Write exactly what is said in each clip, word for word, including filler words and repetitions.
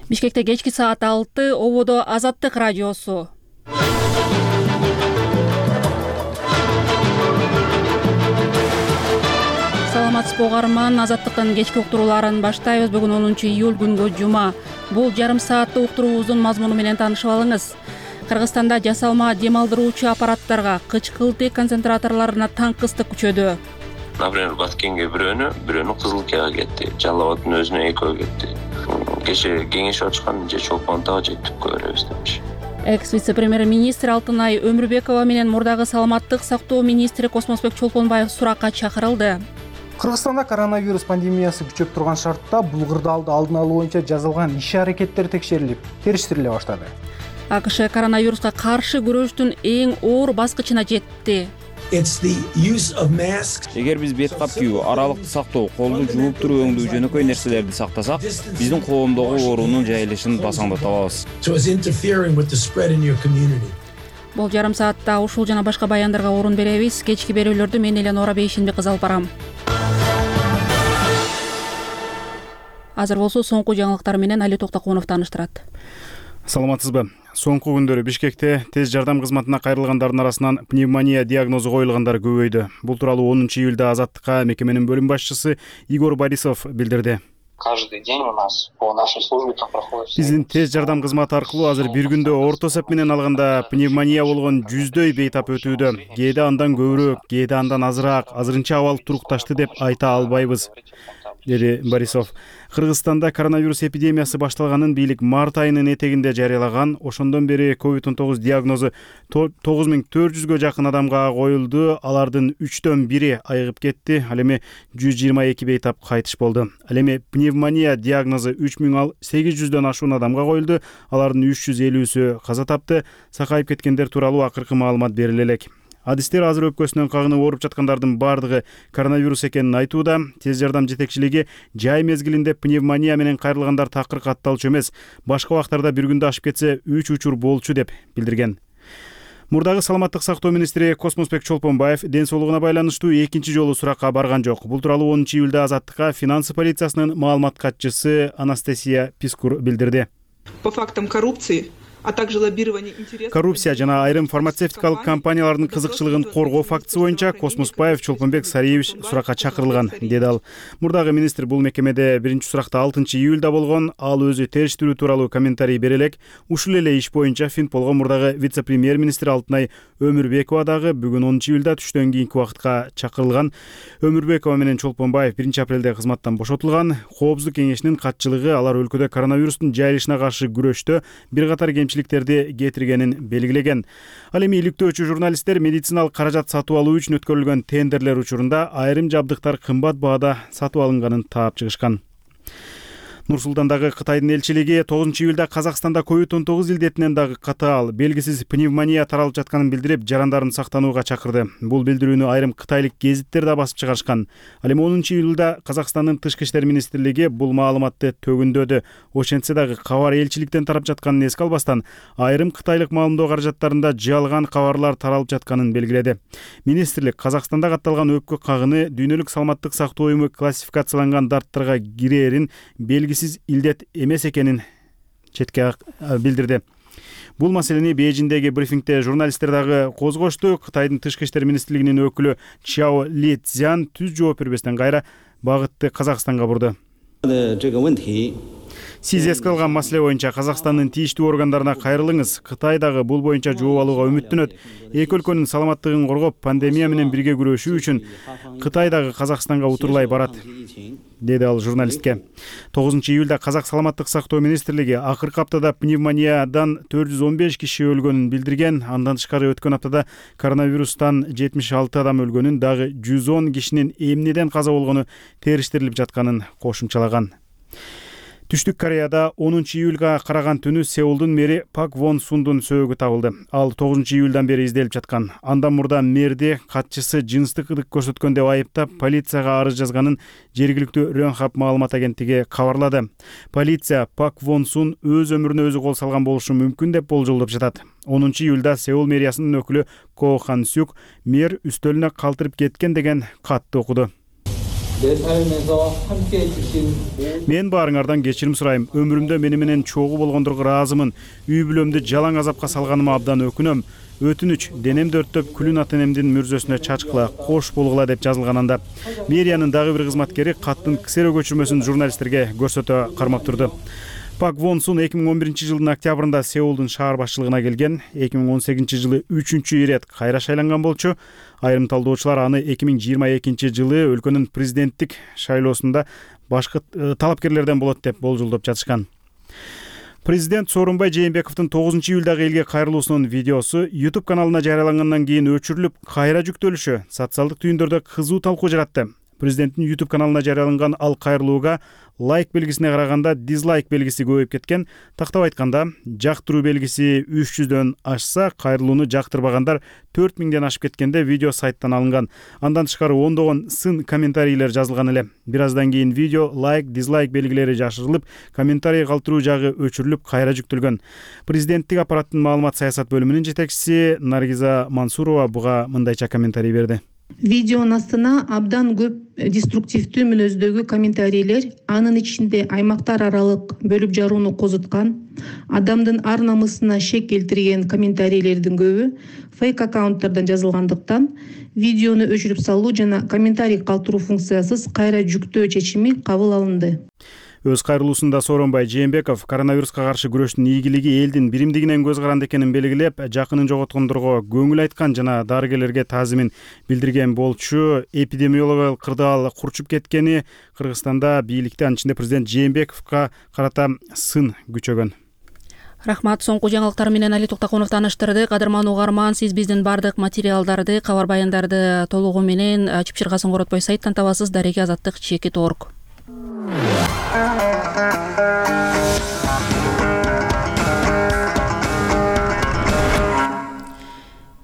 Бишкекте кечки саат алты, ободо Азаттык радиосу. Саламатсызбы угарман, Азаттыктын кечки уктурууларын баштайбыз. Бүгүн онунчу июль күнгө жума. Бул жарым сааттык уктуруубуздун мазмуну менен таанышып алыңыз. Кыргызстанда жасалма дем алдыруучу аппараттарга, кычкылтый концентраторлоруна танк ыстык күчөдү. Например, Баткенге бирөөнү, бирөөнү Кызылкияга кетти. Жалал Абадтын өзүнө экөө кетти. Кеше кеңешип ачкан же Чолпонтага же түпкө беребиз депчи. Экс-вице-премьер-министр Алтынай Өмүрбекова менен мурдагы саламаттык сактоо министри Космосбек Чолпонбаев суракка чакырылды. Кыргызстанда коронавирус пандемиясы күчөп турган шартта бул кырдаалды алдын алуу боюнча жасалган иш-аракеттер текшерилип, териштириле баштады. АКШ коронавируска каршы күрөштүн эң оор баскычына жетти. Эгер биз бет кап кийүү, аралыкты сактоо, колду жууп туруу өңдүү жөнөкөй нерселерди сактасак, биздин коомдогу оорунун жайылышын басаңдата алабыз. Бул жарым саатта ушул жана башка баяндарга орун беребиз. Кечки берүүлөрдү мен Элена Орабейшинбек кызы алып барам. Азыр болсо соңку жаңылыктар менен Али Токтокунов тааныштырат. Саламатсызбы? Соңку күндөрү Бишкекте тез жардам кызматына кайрылгандардын арасынан пневмония диагнозу коюлгандар көбөйдү. Бул тууралуу онунчу июлда Азаттыкка мекеменин бөлүм башчысы Игорь Борисов билдирди. Каждый день у нас по нашей службе там проходит. Биздин тез жардам кызматы аркылуу азыр бир күндө орто эсеп менен алганда пневмония болгон жүздөй бейтап өтүүдө. Кээде андан көбүрөөк, кээде андан азыраак, азырынча абал турукташты деп айта албайбыз, деди Борисов. Кыргызстанда коронавирус эпидемиясы башталганын бийлик март айынын этегинде жарыялаган. Ошондон бери ковид он тогуз диагнозу тогуз миң төрт жүзгө жакын адамга коюлду. Алардын үчтөн бири айыгып кетти. Ал эми жүз жыйырма эки бейтап кайтыш болду. Ал эми пневмония диагнозу үч миң сегиз жүздөн ашуун адамга коюлду. Алардын үч жүз элүүсү каза тапты. Сакайып кеткендер тууралуу акыркы маалымат бериле элек. Адистер азыр өпкөсүнөн кагынып ооруп жаткандардын баардыгы коронавирус экенин айтууда. Тез жардам жетекчилиги жай мезгилинде пневмония менен кайрылгандар такыр катталчу эмес, башка убактарда бир күндө ашып кетсе үч учур болчу деп билдирген. Мурдагы саламаттык сактоо министри Космосбек Чолпонбаев ден соолугуна байланыштуу экинчи жолу суракка барган жок. Бул тууралуу онунчу июлда Азаттыкка финансы полициясынын маалымат катчысы Анастасия Пискур билдирди. По фактам коррупции, а также лоббирование интересов. Коррупция жана айрым фармацевтикалык компаниялардын кызыкчылыгын коргоо фактысы боюнча Космосбаев Чолпонбек Сариевич суракка чакырылган, деди ал. Мурдагы министр бул мекемеде биринчи суракта алтынчы июлда болгон. Ал өзү териштирүү тууралуу комментарий бере элек. Ушул эле иш боюнча Финполго мурдагы вице-премьер-министр Алтынай Өмүрбекова дагы бүгүн онунчу июлда түштөн кийинки убакытка чакырылган. Өмүрбекова менен Чолпонбаев биринчи апрелде кызматтан бошотулган. Коопсуздук кеңешинин катчылыгы алар өлкөдө коронавирустун жайылышына каршы күрөштө бир катар кемчиликтерди кетиргенин белгилеген. Ал эми иликтөөчү журналисттер медициналык каражат сатып алуу үчүн өткөрүлгөн тендерлер учурунда айрым жабдыктар кымбат баада сатып алынганын таап чыгышкан. Нур-Султандагы Кытайдын элчилиги тогузунчу июлда Казакстанда ковид он тогуз илдетинен дагы катаал, белгисиз пневмония таралып жатканын билдирип, жарандарын сактанууга чакырды. Бул билдирүүнү айрым кытайлык гезиттер да басып чыгарышкан. Ал эми онунчу июлда Казакстандын тышкы иштер министрлиги бул маалыматты төгүндөдү. Ошентсе дагы кабар элчиликтен тарап жатканын эске албастан, айрым кытайлык маалымдоо каражаттарында жалган кабарлар таралып жатканын белгиледи. Министрлик Казакстанда катталган өпкө кагыны дүйнөлүк саламаттык сактоо уюму классификацияланган дарттарга кирээрин белгисиз сиз илдет эмес экенин четке билдирди. Бул маселени Бейжиңдеги брифингде журналисттер дагы козгошту. Кытайдын тышкы иштер министрлигинин өкүлү Чао Ли Цзян түз жооп бербестен кайра багытты Казакстанга бурду. Сиз эске алган маселе боюнча Казакстандын тийиштүү органдарына кайрылыңыз. Кытай дагы бул боюнча жооп алууга үмүттөнөт. Эки өлкөнүн саламаттыгын коргоп, пандемия менен бирге күрөшүү үчүн Кытай дагы Казакстанга утурлай барат, деди ал журналистке. тогузунчу июлда Казак саламаттык сактоо министрлиги акыркы аптада пневмониядан төрт жүз он беш киши өлгөнүн билдирген. Андан тышкары өткөн аптада коронавирустан жетимиш алты адам өлгөнүн, дагы жүз он кишинин эмнеден каза болгону териштирилип жатканын кошумчалаган. Түштүк Кореяда онунчу июлга караган түнү Сеулдун мэри Пак Вон Сундун сөөгү табылды. Ал тогузунчу июлдан бери изделип жаткан. Андан мурда мэрди катчысы жыныстык ыдык көрсөткөн деп айыптап, полицияга арыз жазганын жергиликтүү Рёнхап маалымат агенттиги кабарлады. Полиция Пак Вон Сун өз өмүрүнө өзү кол салган болушу мүмкүн деп болжолдоп жатат. онунчу июлда Сеул мэриясынын өкүлү Ко Хан Сюк мэр үстөлүнө калтырып кеткен деген катты окуду. Мен баарыңардан кечирим сурайм. Өмүрүмдө мени менен чогуу болгондорго ыраазымын. Үй бүлөмдү жалаң азапка салганыма абдан өкүнөм. Өтүнүч, денемди өрттөп күлүн ата энемдин мүрзөсүнө чачкыла, кош болгула деп жазылган анда. Мэриянын дагы бир кызматкери каттын ксеро көчүрмөсүн журналисттерге көрсөтө кармап турду. Пак Вон Сун эки миң он биринчи жылдын октябрында Сеулдун шаар башчылыгына келген. эки миң он сегизинчи жылы үчүнчү ирет кайра шайланган болчу. Айрым талдоочулар аны эки миң жыйырма экинчи жылы өлкөнүн президенттик шайлоосунда башкы талапкерлерден болот деп болжолдоп жатышкан. Президент Сооронбай Жээнбековдун тогузунчу июлдагы элге кайрылуусунун видеосу YouTube каналына жарыялангандан кийин өчүрүлүп, кайра жүктөлүшү социалдык түйүндөрдө кызуу талкуу жаратты. Президенттин YouTube каналына жарыяланган ал кайрылууга лайк белгисине караганда дизлайк белгиси көбөйүп кеткен. Тактап айтканда, жактыруу белгиси үч жүздөн ашса, кайрылууну жактырбагандар төрт миңден ашып кеткенде видео сайттан алынган. Андан тышкары ондогон сын комментарийлер жазылган эле. Бир аздан кийин видео лайк, дизлайк белгилери жашырылып, комментарий калтыруу жагы өчүрүлүп, кайра жүктөлгөн. Президенттик аппараттын маалымат саясат бөлүмүнүн жетекчиси Наргиза Мансурова буга мындайча комментарий берди. Видеонун астына абдан көп деструктивдүү мүнөздөгү комментарийлер, анын ичинде аймактар аралык бөлүп жарууну козуткан, адамдын ар намысына шек келтирген комментарийлердин көбү фейк аккаунттардан жазылгандыктан, видеону өчүрүп салуу жана комментарий калтыруу функциясыз кайра жүктөө чечими кабыл алынды. Өз кайрылуусунда Сооронбай Жээнбеков коронавируска каршы күрөштүн ийгилиги элдин биримдигинен көз каранды экенин белгилеп, жакынын жоготкондорго көңүл айткан жана дарыгерлерге таазимин билдирген болчу. Эпидемиологиялык кырдаал курчуп кеткени Кыргызстанда бийликте, анын ичинде президент Жээнбековго карата сын күчөгөн. Рахмат. Соңку жаңылыктар менен Али Токтокунов тааныштырды. Кадырман угарман, сиз биздин бардык материалдарды, кабар баяндарды толугу менен чыпчыргасын коротпой сайттан табасыз. Дареги Азаттык чекит орг.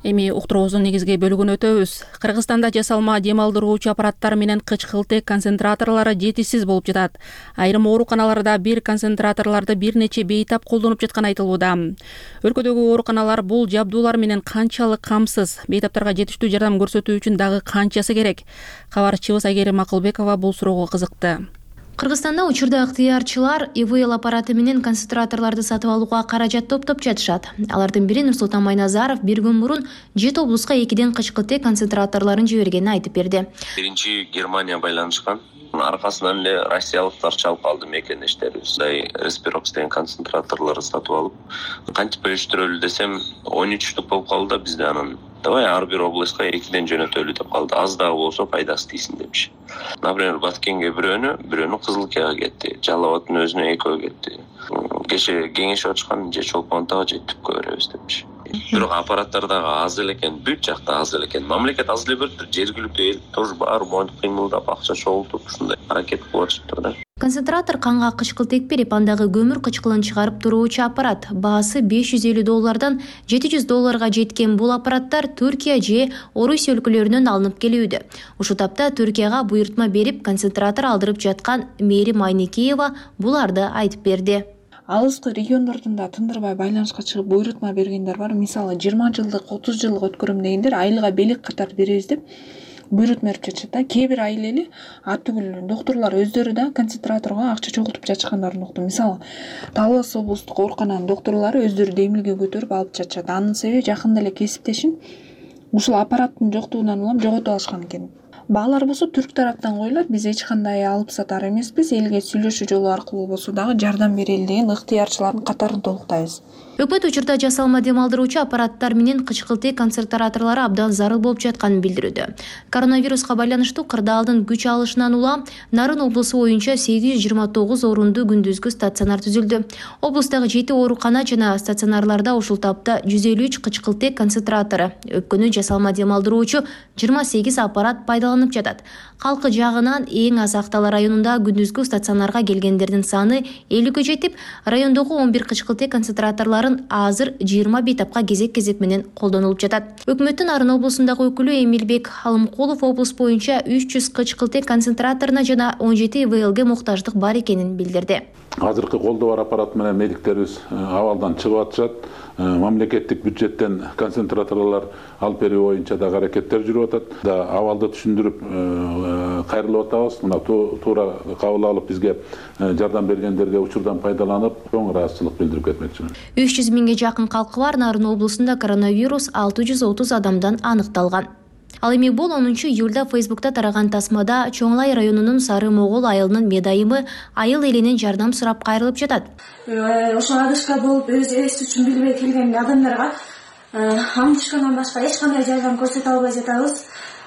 Эми уктуруубуздун негизги бөлүгүнө өтөбүз. Кыргызстанда жасалма дем алдыруучу аппараттар менен кычкылтек концентраторлору жетишсиз болуп жатат. Айрым ооруканаларда бир концентраторлорду бир нече бейтап колдонуп жатканы айтылууда. Өлкөдөгү ооруканалар бул жабдуулар менен канчалык камсыз, бейтаптарга жетиштүү жардам көрсөтүү үчүн дагы канчасы керек? Кабарчыбыз Айгерим Акылбекова бул суроого кызыкты. Кыргызстанда учурда ыктыярчылар И В Л аппараты менен концентраторлорду сатып алууга каражат топтоп жатышат. Алардын бири Нурсултан Майназаров бир күн мурун жети облуска экиден кычкылтек концентраторлорун жибергенин айтып берди. Биринчи Германия байланышкан. Аркасынан эле россиялыктар чалып алды мекенештерибиз. Респирокс деген концентраторлорду сатып алып, кантип бөлүштүрөлү десем он үч штук болуп калды да бизде анан. Давай ар бир областка экиден жөнөтөлү деп калды. Аз дагы болсо пайдасы тийсин депчи. Например, Баткенге бирөөнү, бирөөнү Кызылкияга кетти. Жалал Абадтын өзүнө экөө кетти. Кеше кеңешип ачкан же Чолпон Атага же түпкө беребиз депчи. Бирок аппараттар дагы аз эле экен, бүт жакта аз эле экен. Мамлекет аз эле бериптир, жергиликтүү эл тоже баары моюнтуп кыймылдап, акча чогултуп ушундай аракет кылып атышыптыр да. Концентратор канга кычкылтек берип, андагы көмүр кычкылын чыгарып туруучу аппарат. Баасы беш жүз элүү доллардан жети жүз долларга жеткен бул аппараттар Түркия же Орусия өлкөлөрүнөн алынып келүүдө. Ушул тапта Түркияга буйртма берип, концентратор алдырып жаткан Мээрим Айникеева буларды айтып берди. Алыскы региондордун да тындырбай байланышка чыгып буйртма бергендер бар. Мисалы жыйырма жылдык, отуз жылдык өткөрөм дегендер айылга белек катар беребиз деп буйртма берип жатышат да. Кээ бир айыл эли артүгүл доктурлар өздөрү да концентраторго акча чогултуп жатышкандарын уктум. Мисалы Талас облустук оорукананын доктурлары өздөрү демилге көтөрүп алып жатышат. Анын себеби жакында эле кесиптешин ушул аппараттын жоктугунан улам жоготуп алышкан экен. Баалар болсо түрк тараптан коюлат. Биз эч кандай алып сатар эмеспиз. Элге сүйлөшүү жолу аркылуу болсо дагы жардам берели деген ыктыярчылардын катарын толуктайбыз. Өкмөт учурда жасалма дем алдыруучу аппараттар менен кычкылтек концентраторлору абдан зарыл болуп жатканын билдирүүдө. Коронавируска байланыштуу кырдаалдын күч алышынан улам Нарын облусу боюнча сегиз жүз жыйырма тогуз орунду күндүзгү стационар түзүлдү. Облустагы жети оорукана жана стационарларда ушул тапта жүз элүү үч кычкылтек концентратору, өпкөнү жасалма дем алдыруучу жыйырма сегиз аппарат пайдаланып жатат. Калкы жагынан эң аз Актала районунда күндүзгү стационарга келгендердин саны элүүгө жетип, райондогу он бир кычкылтек концентраторлор азыр жыйырма бейтапка кезек-кезек менен колдонулуп жатат. Өкмөттүн Нарын облусундагы өкүлү Эмилбек Алымкулов облус боюнча үч жүз кычкылтек концентраторуна жана он жети И В Лге муктаждык бар экенин билдирди. Азыркы колдоо бар аппарат менен медиктерибиз абалдан чыгып атышат. Мамлекеттик бюджеттен концентраторлор алып берүү боюнча да аракеттер жүрүп атат. Да абалды түшүндүрүп, кайрылып атабыз. Мына туура кабыл алып бизге жардам бергендерге учурдан пайдаланып, чоң ыраазычылык билдирип кетмекчимин. үч жүз миңге жакын калкы бар Нарын облусунда коронавирус алты жүз отуз адамдан аныкталган. Ал эми бул онунчу июлда Фейсбукта тараган тасмада Чоңлай районунун Сары Могол айылынын медайымы айыл элинен жардам сурап кайрылып жатат. Ошо адышка болуп өз эс үчүн билбей келген адамдарга амдышкандан башка эч кандай жардам көрсөтө албай жатабыз.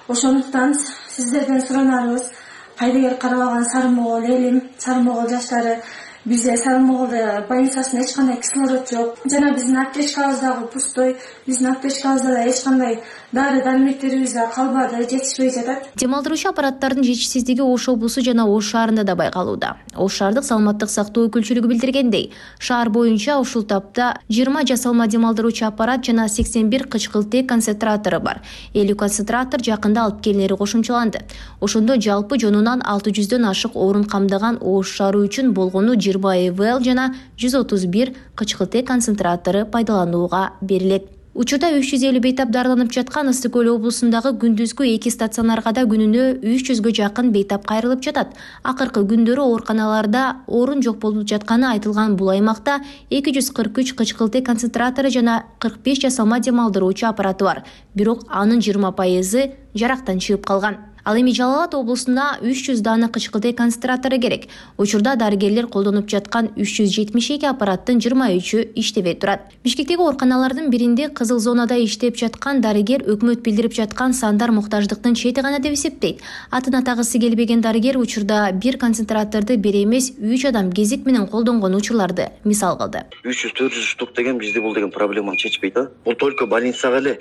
Ошондуктан сиздерден суранарыбыз, пайдагер карап алган Сары Могол элим, Сары Могол жаштары, бизде Сары Моголда больницасында эч кандай кислород жок. Жана биздин аптечкабыз дагы пустой. Биздин аптечкабызда да эч кандай дары дармектерибиз да калбады, жетишпей жатат. Демалдыруучу аппараттардын жетишсиздиги Ош облусу жана Ош шаарында да байкалууда. Ош шаардык саламаттык сактоо өкүлчүлүгү билдиргендей, шаар боюнча ушул тапта жыйырма жасалма демалдыруучу аппарат жана сексен бир кычкылтек концентратору бар. элүү концентратор жакында алып келинери кошумчаланды. Ошондо жалпы жонунан алты жүздөн ашык орун камдаган Ош шаары үчүн болгону жыйырма ИВЛ жана жүз отуз бир кычкылтек концентратору пайдаланууга берилет. Учурда үч жүз элүү бейтап дарыланып жаткан Ысык көл облусундагы күндүзгү эки стационарга да күнүнө үч жүзгө жакын бейтап кайрылып жатат. Акыркы күндөрү ооруканаларда орун жок болуп жатканы айтылган бул аймакта эки жүз кырк үч кычкылтек концентратору жана кырк беш жасалма демалдыруучу аппараты бар. Бирок анын жыйырма пайызы жарактан чыгып калган. Ал эми Жалал Абад облусуна үч жүз дана кычкылтек концентратору керек. Учурда дарыгерлер колдонуп жаткан үч жүз жетимиш эки аппараттын жыйырма үчү иштебей турат. Бишкектеги ооруканалардын биринде кызыл зонада иштеп жаткан дарыгер өкмөт билдирип жаткан сандар муктаждыктын чети гана деп эсептейт. Атын атагысы келбеген дарыгер учурда бир концентраторду бир эмес үч адам кезек менен колдонгон учурларды мисал кылды. үч жүз төрт жүз штук деген бизде бул деген проблеманы чечпейт да. Бул только больницага эле.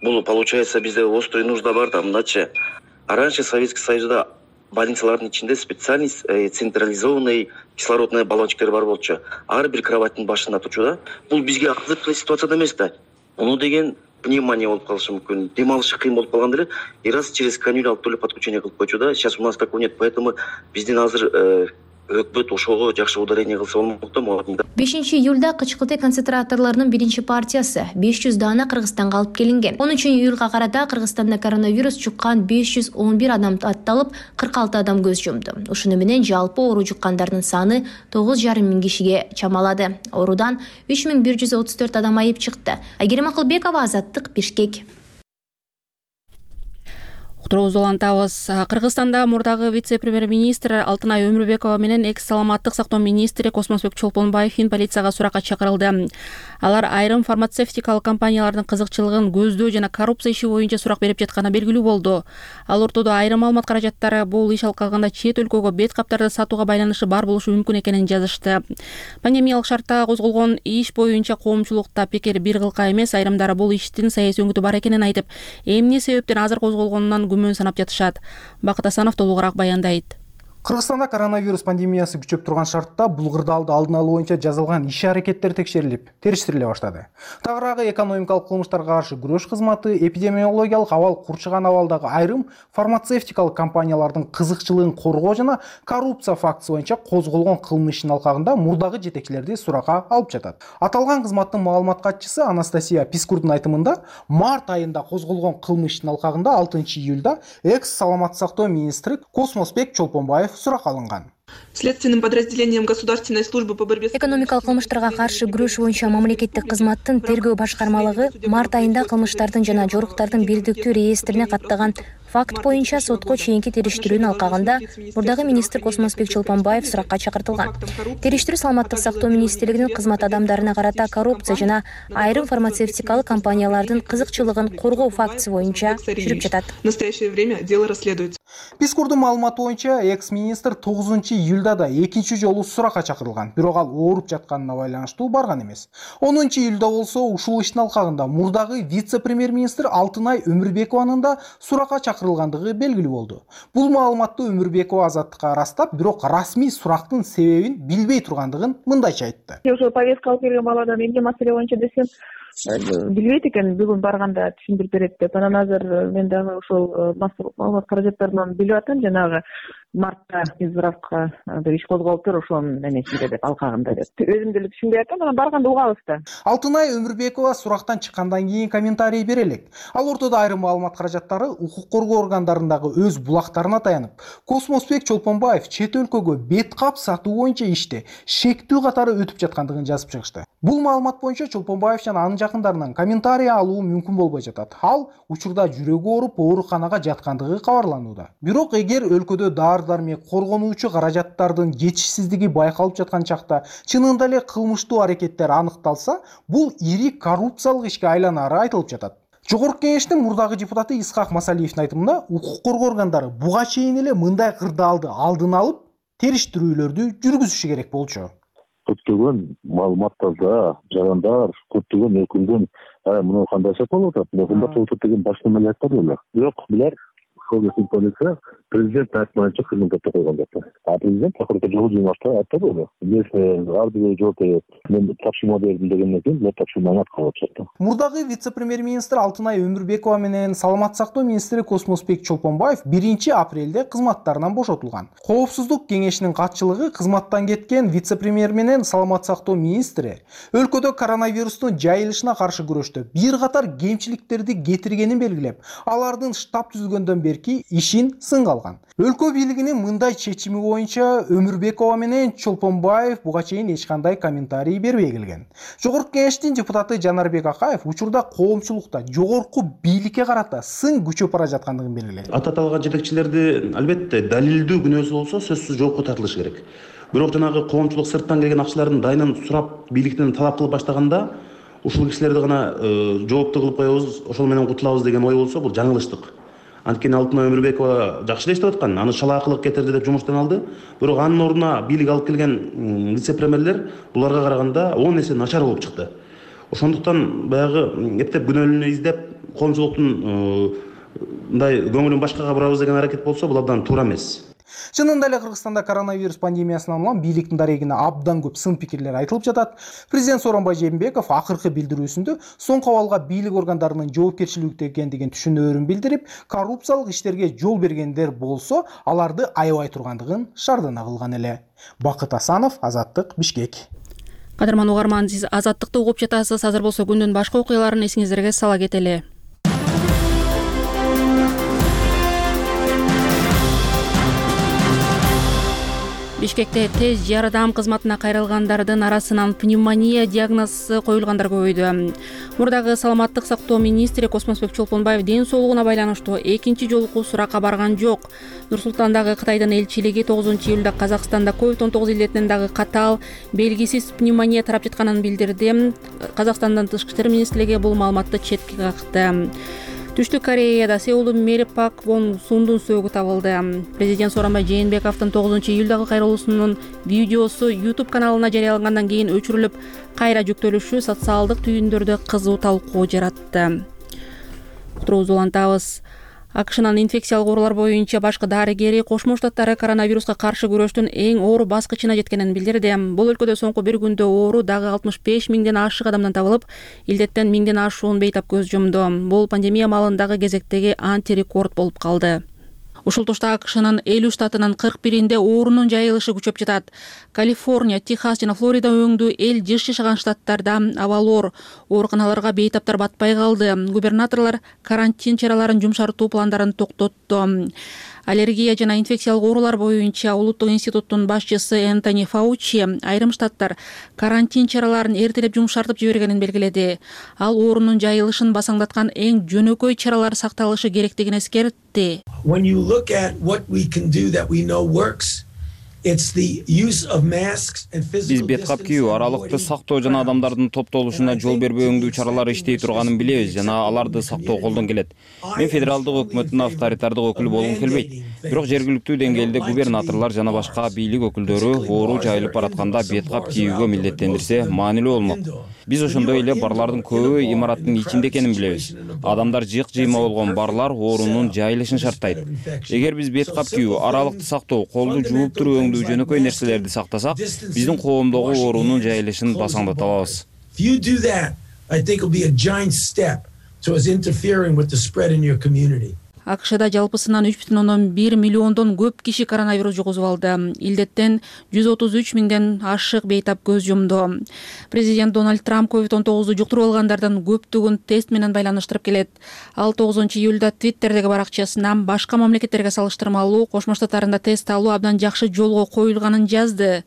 Бул получается бизде острый нужда бар да, мындачы. А раньше Советский Союзда больницалардын ичинде специальный централизованный кислородный баллончиктер бар болчу. Ар бир кроваттын башында турчу да. Бул бизге азыркы ситуацияда эмес да. Муну деген пневмония болуп калышы мүмкүн. Дем алышы кыйын болуп калган деле. И раз через канюлю алып келип подключение кылып койчу да. Сейчас у нас такого нет, поэтому биздин азыр өкмөт ошого жакшы ударение кылса болмок да. бешинчи июлда кычкылтек концентраторлорунун биринчи партиясы беш жүз дана Кыргызстанга алып келинген. онунчу июлга карата Кыргызстанда коронавирус жуккан беш жүз он бир адам атталып, кырк алты адам көз жумду. Ушуну менен жалпы оору жуккандардын саны тогуз жарым миң кишиге чамалады. Оорудан үч миң бир жүз отуз төрт адам айып чыкты. Айгерим Акылбекова, Азаттык, Бишкек. Уктуруубузду улантабыз. Кыргызстанда мурдагы вице-премьер-министр Алтынай Өмүрбекова менен экс саламаттык сактоо министри Космосбек Чолпонбаев полицияга суракка чакырылды. Алар айрым фармацевтикалык компаниялардын кызыкчылыгын көздөө жана коррупция иши боюнча сурак берип жатканы белгилүү болду. Ал ортодо айрым маалымат каражаттары бул иш алкагында чет өлкөгө бет каптарды сатууга байланышы бар болушу мүмкүн экенин жазышты. Пандемиялык шартта козголгон иш боюнча коомчулукта пикир бир кылка эмес, айрымдары бул иштин саясий өңүтү бар экенин айтып, эмне себептен азыр козголгонунан күмөн санап жатышат. Бакыт Асанов толугураак баяндайт. Кыргызстанда коронавирус пандемиясы күчөп турган шартта булгырдалды алдын алуу боюнча жазылган иш-аракеттер текшерилип, териштириле баштады. Тагыраагы экономикалык кылмыштарга каршы күрөш кызматы эпидемиологиялык абал курчаган абалдагы айрым фармацевтикалык компаниялардын кызыкчылыгын коргоо жана коррупция фактысы боюнча козголгон кылмыш ишинин алкагында мурдагы жетекчилерди суракка алып жатат. Аталган кызматтын маалымат катчысы Анастасия Пискурдун айтымында, март айында козголгон кылмыш ишинин алкагында алтынчы июлда экс саламаттык сактоо министри Космосбек Чолпонбаев сурак алынган. Следственным подразделением Государственной службы по борьбе с экономикалык кылмыштарга каршы күрөш боюнча мамлекеттик кызматтын тергөө башкармалыгы март айында кылмыштардын жана жоруктардын бирдиктүү реестрине каттаган факт боюнча сотко чейинки териштирүүнүн алкагында мурдагы министр Космосбек Чолпонбаев суракка чакыртылган. Териштирүү саламаттык сактоо министрлигинин кызмат адамдарына карата коррупция жана айрым фармацевтикалык компаниялардын кызыкчылыгын коргоо фактысы боюнча жүрүп жатат. В настоящее время дело расследуется. Пискурдун маалыматы боюнча экс-министр тогузунчу июлда да экинчи жолу суракка чакырылган, бирок ал ооруп жатканына байланыштуу барган эмес. онунчу июлда болсо ушул иштин алкагында мурдагы вице-премьер-министр Алтынай Өмүрбекованын да суракка чакырылгандыгы белгилүү болду. Бул маалыматты Өмүрбекова Азаттыкка ырастап, бирок расмий сурактын себебин билбей тургандыгын мындайча айтты. Уже повестка алып келген баладан эмне маселе боюнча десем, билбейт экен, бүгүн барганда түшүндүрүп берет деп. Анан азыр мен дагы ошол маалымат каражаттарынан билип атам, жанагы мартта Минздравга иш козголуптур ошонун эмесинде деп, алкагында деп. Өзүм деле түшүнбөй атам, анан барганда угабыз да. Алтынай Өмүрбекова сурактан чыккандан кийин комментарий бере элек. Ал ортодо айрым маалымат каражаттары укук коргоо органдарындагы өз булактарына таянып, Космосбек Чолпонбаев чет өлкөгө бет кап сатуу боюнча иште шектүү катары өтүп жаткандыгын жазып чыгышты. Бул маалымат боюнча Чолпонбаев жана анын жакындарынан комментарий алуу мүмкүн болбой жатат. Ал учурда жүрөгү ооруп ооруканага жаткандыгы кабарланууда. Бирок эгер өлкөдө дары-дармек коргонуучу каражаттардын жетишсиздиги байкалып жаткан чакта чынында эле кылмыштуу аракеттер аныкталса, бул ири коррупциялык ишке айланары айтылып жатат. Жогорку кеңештин мурдагы депутаты Исхак Масалиевдин айтымында, укук коргоо органдары буга чейин эле мындай кырдаалды алдын алып, териштирүүлөрдү жүргүзүшү керек болчу. Көптөгөн маалыматтарда жарандар, көптөгөн өкүлдүн мына кандай эсеп болуп атат, мына кымбат болуп атат деген башка мелдеттер эле. Бирок булар ошол кезде полиция президент айтмайынча кызматта койгон деп. А президент акыркы жолу жыйнашта айтты эле. Мен ар бир жооп берет. Мен тапшырма бердим дегенден кийин мен тапшырманы аткарып чыктым. Мурдагы вице-премьер-министр Алтынай Өмүрбекова менен саламат сактоо министри Космосбек Чолпонбаев биринчи апрелде кызматтарынан бошотулган. Коопсуздук кеңешинин катчылыгы кызматтан кеткен вице-премьер менен саламат сактоо министри өлкөдө коронавирустун жайылышына каршы күрөштө бир катар кемчиликтерди кетиргенин белгилеп, алардын штаб түзүлгөндөн берки ишин сынга алган. Өлкө бийлигинин мындай чечими боюнча Өмүрбекова менен Чолпонбаев буга чейин эч кандай комментарий бербей келген. Жогорку кеңештин депутаты Жанарбек Акаев учурда коомчулукта жогорку бийликке карата сын күчөп бара жаткандыгын белгилedi. Ататалган жетекчилерди албетте далилдүү күнөөсү болсо сөзсүз жоопко тартылышы керек. Бирок жанагы коомчулук сырттан келген акчалардын дайынын сурап бийликтен талап кылып баштаганда ушул кишилерди гана жоопту кылып коебуз, ошол менен кутулабыз деген ой болсо бул жаңылыштык. Анткени Алтынай Өмүрбекова жакшы эле иштеп аткан, аны шалаакылык кетирди деп жумуштан алды. Бирок анын ордуна бийлик алып келген вице-премьерлер буларга караганда он эсе начар болуп чыкты. Ошондуктан баягы эптеп күнөөлүүнү издеп, коомчулуктун мындай көңүлүн башкага бурабыз деген аракет болсо, бул абдан туура эмес. Чынында эле Кыргызстанда коронавирус пандемиясынан улам бийликтин дарегине абдан көп сын пикирлер айтылып жатат. Президент Сооронбай Жээнбеков акыркы билдирүүсүндө соңку абалга бийлик органдарынын жоопкерчиликтүү экендигин түшүнөөрүн билдирип, коррупциялык иштерге жол бергендер болсо, аларды аябай тургандыгын шардана кылган эле. Бакыт Асанов, Азаттык, Бишкек. Кадырман угарман, сиз Азаттыкты угуп жатасыз. Азыр болсо күндүн башка окуяларын эсиңиздерге сала кетели. Бишкекте тез жардам кызматына кайрылгандардын арасынан пневмония диагнозу коюлгандар көбөйдү. Мурдагы саламаттык сактоо министри Космосбек Чолпонбаев ден соолугуна байланыштуу экинчи жолку суракка барган жок. Нур-Султандагы Кытайдын элчилиги тогузунчу июлда Казакстанда ковид он тогуз илдетинен дагы катаал белгисиз пневмония тарап жатканын билдирди. Казакстандын тышкы иштер министрлиги бул маалыматты четке какты. Түштүк Кореяда Сеулдун мэри Пак Вон Сундун сөөгү табылды. Президент Сооронбай Жээнбековдун тогузунчу июлдагы кайрылуусунун видеосу YouTube каналына жарыялангандан кийин өчүрүлүп, кайра жүктөлүшү социалдык түйүндөрдө кызуу талкуу жаратты. Уктуруубузду улантабыз. АКШнын инфекциялык оорулар боюнча башкы дарыгери Кошмо Штаттары коронавируска каршы күрөштүн эң оор баскычына жеткенин билдирди. Бул өлкөдө соңку бир күндө оору дагы алтымыш беш миңден ашык адамдан табылып, илдеттен миңден ашуун бейтап көз жумду. Бул пандемия маалындагы кезектеги антирекорд болуп калды. Ушул тушта АКШнын элүү штатынын кырк биринде оорунун жайылышы күчөп жатат. Калифорния, Техас жана Флорида өңдүү эл жыш жашаган штаттарда абалоор, ооруканаларга бейтаптар батпай калды. Губернаторлор карантин чараларын жумшартуу пландарын токтотту. Аллергия жана инфекциялык оорулар боюнча улуттук институттун башчысы Энтони Фаучи айрым штаттар карантин чараларын эртелеп жумшартып жибергенин белгиледи. Ал оорунун жайылышын басаңдаткан эң жөнөкөй чаралар сакталышы керектигин эскертти. When you look at what we can do that we know works, it's the use of masks and physical Биз бет кап кийүү, аралыкты сактоо жана адамдардын топтолушуна жол бербөө өңдүү чаралары иштей турганын билебиз жана аларды сактоо колдон келет. Мен федералдык өкмөттүн авторитардык өкүлү болгум келбейт. Бирок жергиликтүү деңгээлде губернаторлор жана башка бийлик өкүлдөрү оору жайылып баратканда бет кап кийүүгө милдеттендирсе маанилүү болмок. Биз ошондой эле барлардын көбү имараттын ичинде экенин билебиз. Адамдар жыйк-жыйма болгон барлар оорунун жайылышын шарттайт. Эгер биз бет кап кийүү, аралыкты сактоо, колду жууп туруу өңдүү жөнөкөй нерселерди сактасак, биздин коомдогу оорунун жайылышын басаңдата алабыз. If you do that, I think will be a giant step towards interfering with the spread in your community. АКШда жалпысынан үч бүтүн ондон бир миллиондон көп киши коронавирус жугузуп алды. Илдеттен жүз отуз үч миңден ашык бейтап көз жумду. Президент Дональд Трамп ковид он тогузду жуктуруп алгандардын көптүгүн тест менен байланыштырып келет. Ал тогузунчу июлда Твиттердеги баракчасынан башка мамлекеттерге салыштырмалуу Кошмо Штаттарында тест алуу абдан жакшы жолго коюлганын жазды.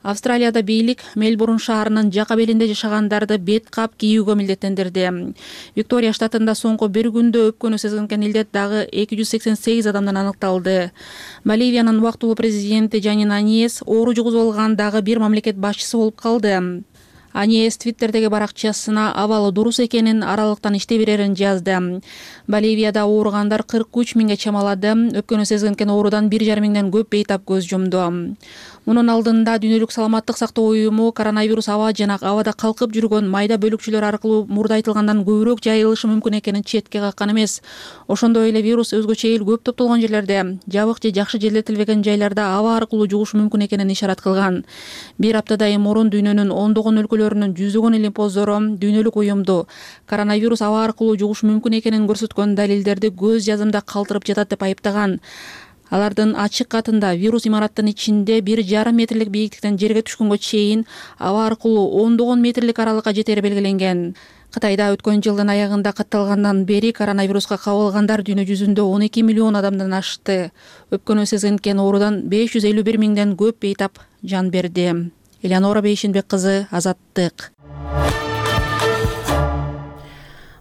Австралияда бийлик Мельбурн шаарынын жака белинде жашагандарды бет кап кийүүгө милдеттендирди. Виктория штатында соңку бир күндө өпкөнү сезген илдет дагы эки жүз сексен сегиз адамдан аныкталды. Боливиянын убактылуу президенти Жанин Аниес оору жугузуп алган дагы бир мамлекет башчысы болуп калды. Аниес Твиттердеги баракчасына абалы дурус экенин, аралыктан иштей берерин жазды. Боливияда ооругандар кырк үч миңге чамалады. Өпкөнү сезген оорудан бир жарым миңден көп бейтап көз жумду. Мунун алдында Дүйнөлүк саламаттык сактоо уюму коронавирус аба жана абада калкып жүргөн майда бөлүкчөлөр аркылуу мурда айтылгандан көбүрөөк жайылышы мүмкүн экенин четке каккан эмес. Ошондой эле вирус өзгөчө эл көп топтолгон жерлерде, жабык же жакшы желдетилбеген жайларда аба аркылуу жугушу мүмкүн экенин ишарат кылган. Бир аптадай мурун дүйнөнүн ондогон өлкөлөрүнүн жүзөгөн илимпоздору Дүйнөлүк уюмду коронавирус аба аркылуу жугушу мүмкүн экенин көрсөткөн далилдерди көз жазымда калтырып жатат деп айыптаган. Алардын ачык катында вирус имараттын ичинде бир жарым метрлик бийиктиктен жерге түшкөнгө чейин аба аркылуу ондогон метрлик аралыкка жетери белгиленген. Кытайда өткөн жылдын аягында катталгандан бери коронавируска кабылгандар дүйнө жүзүндө он эки миллион адамдан ашты. Өпкөнү сезген оорудан беш жүз элүү бир миңден көп бейтап жан берди. Элеонора Бейшинбек кызы, Азаттык.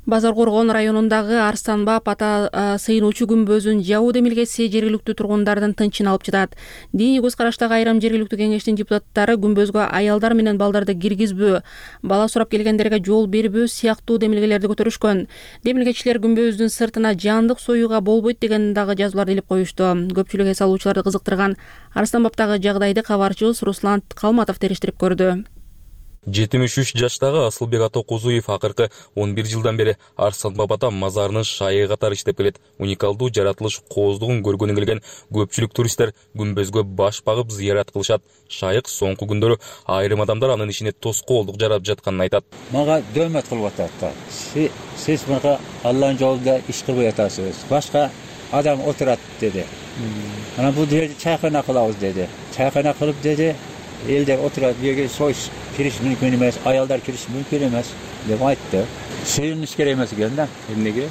Базар Коргон районундагы Арстанбап ата сыйынуучу күмбөзүн жабуу демилгеси жергиликтүү тургундардын тынчын алып жатат. Диний көз караштагы айрым жергиликтүү кеңештин депутаттары күмбөзгө аялдар менен балдарды киргизбөө, бала сурап келгендерге жол бербөө сыяктуу демилгелерди көтөрүшкөн. Демилгечилер күмбөздүн сыртына жандык союуга болбойт деген дагы жазууларды илип коюшту. Көпчүлүк эс алуучуларды кызыктырган Арстанбаптагы жагдайды кабарчыбыз Руслан Калматов териштирип көрдү. жетимиш үч жаштагы Асылбек Атокузуев акыркы он бир жылдан бери Арстанбап ата мазарынын шайы катары иштеп келет. Уникалдуу жаратылыш кооздугун көргөнү келген көпчүлүк туристтер күмбөзгө баш багып зыярат кылышат. Шайык соңку күндөрү айрым адамдар анын ичине тоскоолдук жарап жатканын айтат. Мага дөмөт кылып атат. Сиз мага Алланын жолунда иш кылбай атасыз. Башка адам отурат деди. Анан бул жерде чайкана кылабыз деди. Чайкана кылып деди. Элдер отурат, жерге союш кириш мүмкүн эмес, аялдар кириш мүмкүн эмес деп айтты. Сыйыныш керек эмес экен да. Эмнеге?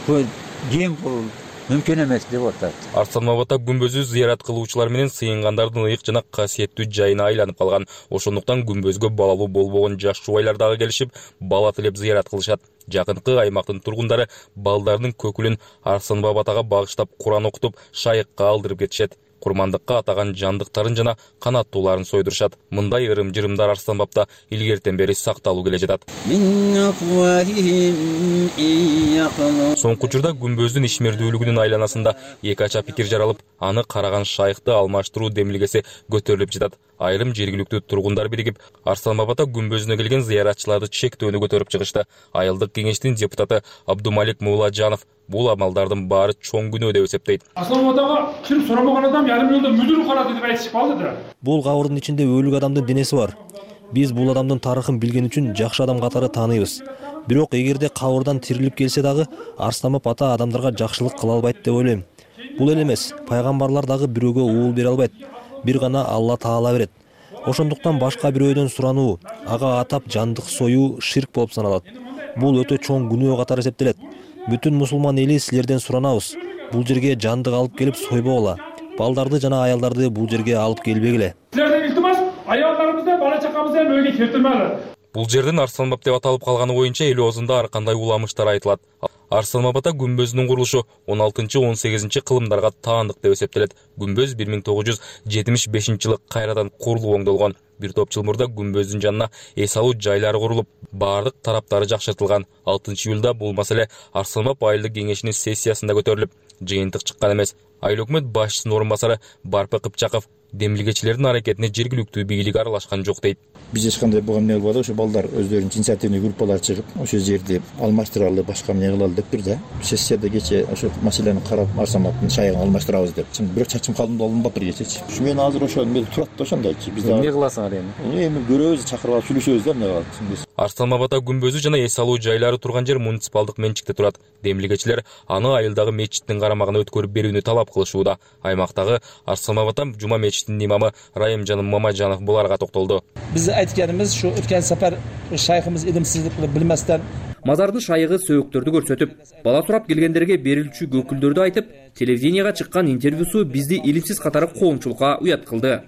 Бул ким бул мүмкүн эмес деп атат. Арстанбапта күмбөзү зыярат кылуучулар менен сыйынгандардын ыйык жана касиеттүү жайына айланып калган. Ошондуктан күмбөзгө балалуу болбогон жаш жубайлар дагы келишип, бала тилеп зыярат кылышат. Жакынкы аймактын тургундары балдардын көкүлүн Арстанбап атага багыштап Куран окутуп, шайыкка алдырып кетишет. Курмандыкка атаган жандыктарын жана канаттууларын сойдурушат. Мындай ырым-жырымдар Арстанбапта илгертен бери сакталуу келе жатат. Соңку учурда күмбөздүн ишмердүүлүгүнүн айланасында эки ача пикир жаралып, аны караган шайыкты алмаштыруу демилгеси көтөрүлүп жатат. Айрым жергиликтүү тургундар биригип, Арстанбапта күмбөзүнө келген зыяратчыларды чектөөнү көтөрүп чыгышты. Айылдык кеңештин депутаты Абдумалик Мууладжанов бул амалдардын баары чоң күнөө деп эсептейт. Арстанбаптагы кирип сурамаган адам ярым жылда мүдүр карады деп айтышып калды да. Бул кабырдын ичинде өлүк адамдын денеси бар. Биз бул адамдын тарыхын билген үчүн жакшы адам катары тааныйбыз. Бирок эгерде кабырдан тирилип келсе дагы Арстанбап ата адамдарга жакшылык кыла албайт деп ойлойм. Бул эле эмес, пайгамбарлар дагы бирөөгө уул бере албайт. Бир гана Алла Таала берет. Ошондуктан башка бирөөдөн сурануу, ага атап жандык союу ширк болуп саналат. Бул өтө чоң күнөө катары эсептелет. Бүтүн мусулман эли силерден суранабыз. Бул жерге жандык алып келип сойбогула. Балдарды жана аялдарды бул жерге алып келбегиле. Силерден илтимас, аялдарыбызды, бала чакабызды өйгө келтирмели. Бул жердин Арстанбап деп аталып калганы боюнча эл оозунда ар кандай уламыштар айтылат. Арстанбапта күмбөзүнүн курулушу он алтынчы он сегизинчи кылымдарга таандык деп эсептелет. Күмбөз бир миң тогуз жүз жетимиш бешинчи жылы кайрадан курулуп оңдолгон. Бир топ жыл мурда күмбөздүн жанына эс алуу жайлары курулуп, бардык тараптары жакшыртылган. алтынчы июлда бул маселе Арстанбап айылдык кеңешинин сессиясында көтөрүлүп, жыйынтык чыккан эмес. Айыл өкмөт башчысынын орун басары Барпы Кыпчаков демилгечилердин аракетине жергиликтүү бийлик аралашкан жок дейт. Биз эч кандай буга эмне болбоду, ошо балдар өздөрүнүн инициативный группалар чыгып, ошо жерди алмаштыралы, башка эмне кылалы деп бир да. Сессияда кече ошо маселени карап, Арсаматтын шайыгын алмаштырабыз деп. Бирок чачым калдым да алынбаптыр кечечи. Ушу мен азыр ошо эмне турат да ошондойчу. Биз эмне кыласың ал эми? Эми көрөбүз, чакырып алып сүйлөшөбүз да эмне кылат. Арсланбап ата күмбөзү жана эс алуу жайлары турган жер муниципалдык менчикте турат. Демилгечилер аны айылдагы мечиттин карамагына өткөрүп берүүнү талап кылышууда. Аймактагы Арсланбап ата жума мечитинин имамы Райымжан Мамажанов буларга токтолду. Биз айтканыбыз ушу өткөн сапар шайхыбыз илимсиздикти билместен мазардын шайыгы сөөктөрдү көрсөтүп, бала сурап келгендерге берилчү көкүлдөрдү айтып, телевиденияга чыккан интервьюсу бизди илимсиз катары коомчулукка уят кылды.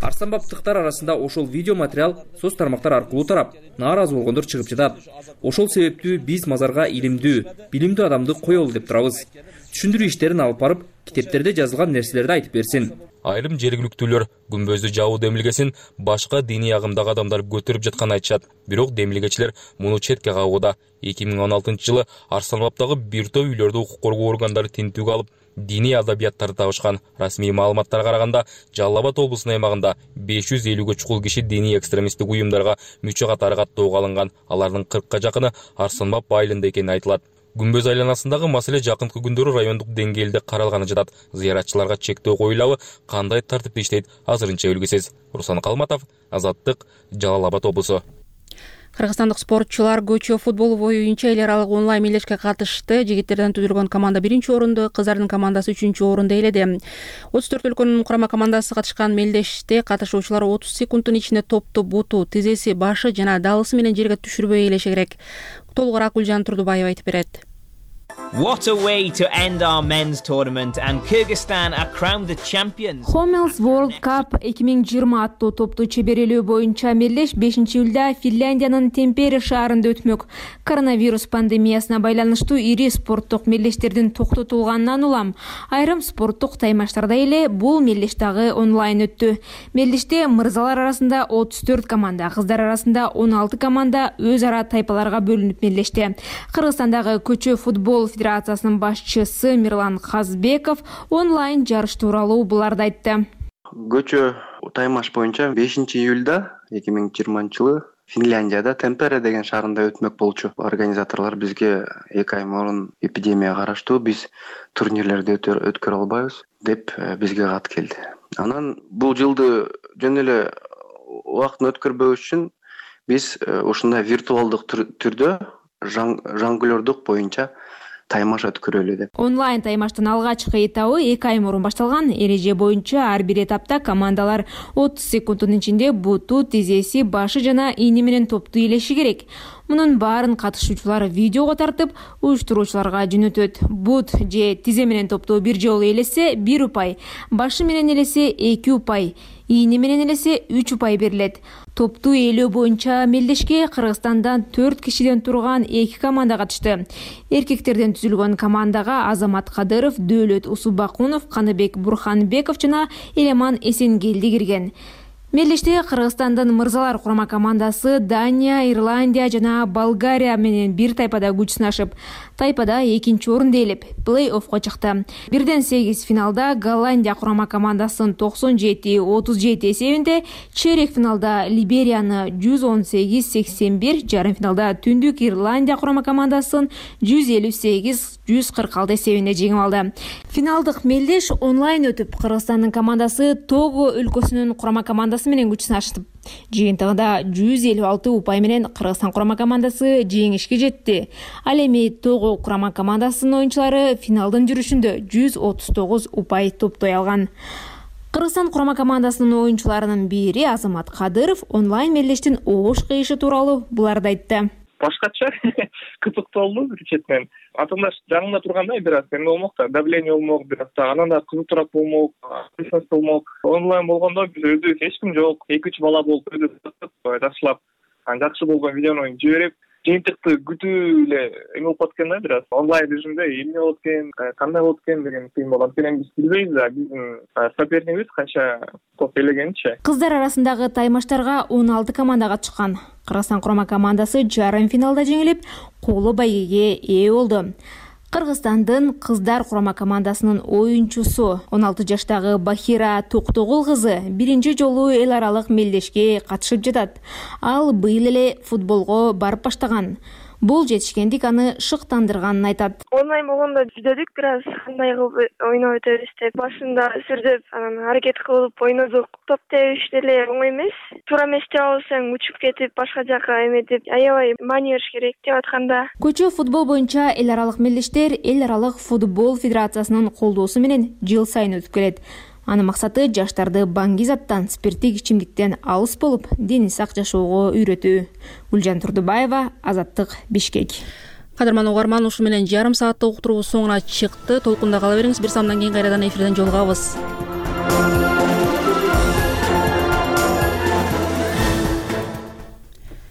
Арсланбаптыктар арасында ошол видео материал соц тармактар аркылуу тарап, нааразы болгондор чыгып жатат. Ошол себептүү биз мазарга илимдүү, билимдүү адамды коелу деп турабыз. Түшүндүрүү иштерин алып барып, китептерде жазылган нерселерди айтып берсин. Айрым жергиликтүүлөр күмбөздү жабуу демилгесин башка диний агымдагы адамдар көтөрүп жатканын айтышат. Бирок демилгечилер муну четке кагууда. эки миң он алтынчы жылы Арсланбаптагы бир топ үйлөрдү укук коргоо органдары тинтүүгө алып, диний адабияттарды табышкан. Расмий маалыматтарга караганда, Жалал Абад облусунун аймагында беш жүз элүүгө чукул киши диний экстремисттик уюмдарга мүчө катары каттоого алынган. Алардын кыркка жакыны Арсланбап айылында экени айтылат. Күмбөз айланасындагы маселе жакынкы күндөрү райондук деңгээлде каралганы жатат. Зыяратчыларга чектөө коюлабы, кандай тартипте иштейт азырынча белгисиз. Руслан Калматов, Азаттык, Жалал Абад облусу. Кыргызстандык спортчулар көчө футбол боюнча эл аралык онлайн мелдешке катышты. Жигиттерден түзүлгөн команда биринчи орунду, кыздардын командасы үчүнчү орунду ээледи. отуз төрт өлкөнүн курама командасы катышкан мелдеште катышуучулар отуз секундтун ичинде топту буту, тизеси, башы жана далысы менен жерге түшүрбөй ээлеше керек. Толугураак Гүлжан Турдубаева айтып берет. What a way to end our men's tournament, and Kyrgyzstan are crowned the champions. Homels World Cup эки миң жыйырма аттуу топту чеберелөө боюнча мелдеш бешинчи июлда Финляндиянын Темпере шаарында өтмөк. Коронавирус пандемиясына байланыштуу ири спорттук мелдештердин токтотулганынан улам айрым спорттук таймаштарда эле бул мелдеш дагы онлайн өттү. Мелдеште мырзалар арасында отуз төрт команда, кыздар арасында он алты команда өз ара тайпаларга бөлүнүп мелдешти. Кыргызстандагы көчө футбол федерациясынын башчысы Мирлан Казбеков онлайн жарыш тууралуу буларды айтты. Көчө таймаш боюнча бешинчи июлда эки миң жыйырманчы жылы Финляндияда Темпере деген шаарында өтмөк болчу. Организаторлор бизге эки ай мурун эпидемия караштуу, биз турнирлерди өткөрө албайбыз деп бизге кат келди. Анан бул жылды жөн эле убактын өткөрбөш үчүн биз ушундай виртуалдык түрдө жонглёрдук боюнча таймаш өткөрөлү деп. Онлайн таймаштын алгачкы этабы эки ай мурун башталган. Эреже боюнча ар бир этапта командалар отуз секундтун ичинде буту, тизеси, башы жана ийне менен топту ээлеши керек. Мунун баарын катышуучулар видеого тартып, уюштуруучуларга жөнөтөт. Бут же тизе менен топту бир жолу ээлесе бир упай, башы менен ээлесе эки упай, ийне менен ээлесе үч упай берилет. Топту ээлөө боюнча мелдешке Кыргызстандан төрт кишиден турган эки команда катышты. Эркектерден түзүлгөн командага Азамат Кадыров, Дөөлөт Усубакунов, Каныбек Бурханбеков жана Элеман Эсенгелди кирген. Мелдеште Кыргызстандын мырзалар курама командасы Дания, Ирландия жана Болгария менен бир тайпада күч сынашып, тайпада экинчи орунду ээлеп, плей-оффко чыкты. Бирден сегиз финалда Голландия курама командасын токсон жети отуз жети эсебинде, чейрек финалда Либерияны жүз он сегиз сексен бир, жарым финалда Түндүк Ирландия курама командасын жүз элүү сегиз жүз кырк алты эсебинде жеңип алды. Финалдык мелдеш онлайн өтүп, Кыргызстандын командасы Того өлкөсүнүн курама командасы менен күч сынашты. Жыйынтыгында жүз элүү алты упай менен Кыргызстан курама командасы жеңишке жетти. Ал эми Того курама командасынын оюнчулары финалдын жүрүшүндө жүз отуз тогуз упай топтой алган. Кыргызстан курама командасынын оюнчуларынын бири Азамат Кадыров онлайн мелдештин оош кыйышы тууралуу буларды айтты. Башкача кызыктуу болду бир четинен. Атымдаш жанымда турганда бир аз эме болмок да, давление болмок, бир аз анан да кызыктуураак болмок, кызык болмок. Онлайн болгондо биз өзүбүз эч ким жок, эки үч бала болуп өзүбүз жакшылап, жакшы болгон видеону жиберип, жыйынтыкты күтүү эле эме болуп калат экен да, бир аз онлайн режимде эмне болот экен, кандай болот экен деген кыйын болгон. Анткени биз билбейбиз да, биздин сопернигибиз канча топ элегенинчи. Кыздар арасындагы таймаштарга он алты команда катышкан. Кыргызстан курама командасы жарым финалда жеңилип, колу байгеге ээ болду. Кыргызстандын кыздар курама командасынын оюнчусу он алты жаштагы Бахира Токтогул кызы биринчи жолу эл аралык мелдешке катышып жатат. Ал быйыл эле футболго барып баштаган. Бул жетишкендик аны шыктандырганын айтат. Онлайн болгондо жүздөдүк, бир аз кандай кылып ойноп өтөбүз деп. Башында сүрдөп, анан аракет кылып ойнодук. Топ тебиш деле оңой эмес. Туура эместе алсаң учуп кетип, башка жака эметип, аябай маани бериш керек деп атканда. Көчө футбол боюнча эл аралык мелдештер Эл аралык футбол федерациясынын колдоосу менен жыл сайын өтүп келет. Анын максаты жаштарды баңгизаттан, спирттик ичимдиктен алыс болуп, дени сак жашоого үйрөтүү. Гүлжан Турдубаева, Азаттык, Бишкек. Кадырман угарман, ушу менен жарым сааттык уктуруубуз соңуна чыкты. Толкунда кала бериңиз. Бир самдан кийин кайрадан эфирден жолугабыз.